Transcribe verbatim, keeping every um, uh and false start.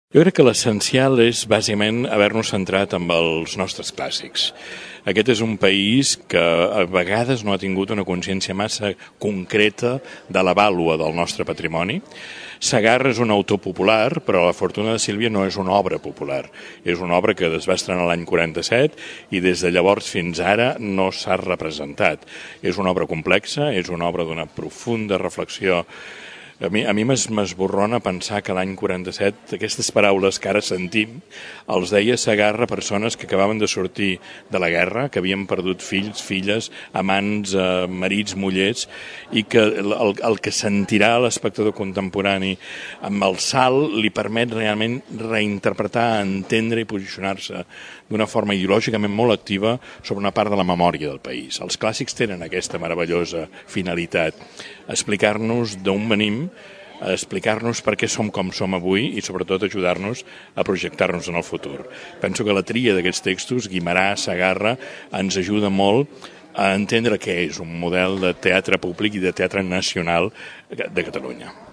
Jo crec que l'essencial és, bàsicament, haver-nos centrat en els nostres clàssics. Aquest és un país que a vegades no ha tingut una consciència massa concreta de la vàlua del nostre patrimoni. Segarra és un autor popular, però La fortuna de Sílvia no és una obra popular. És una obra que es va estrenar l'any quaranta-set i des de llavors fins ara no s'ha representat. És una obra complexa, és una obra d'una profunda reflexió. A mi, a mi m'esborrona pensar que l'any quaranta-set aquestes paraules que ara sentim els deia Segarra a persones que acabaven de sortir de la guerra, que havien perdut fills, filles, amants, eh, marits, mullers, i que el, el que sentirà l'espectador contemporani amb el salt li permet realment reinterpretar, entendre i posicionar-se d'una forma ideològicament molt activa sobre una part de la memòria del país. Els clàssics tenen aquesta meravellosa finalitat, explicar-nos d'on venim, explicar-nos per què som com som avui i sobretot ajudar-nos a projectar-nos en el futur. Penso que la tria d'aquests textos, Guimerà, Segarra, ens ajuda molt a entendre què és un model de teatre públic i de teatre nacional de Catalunya.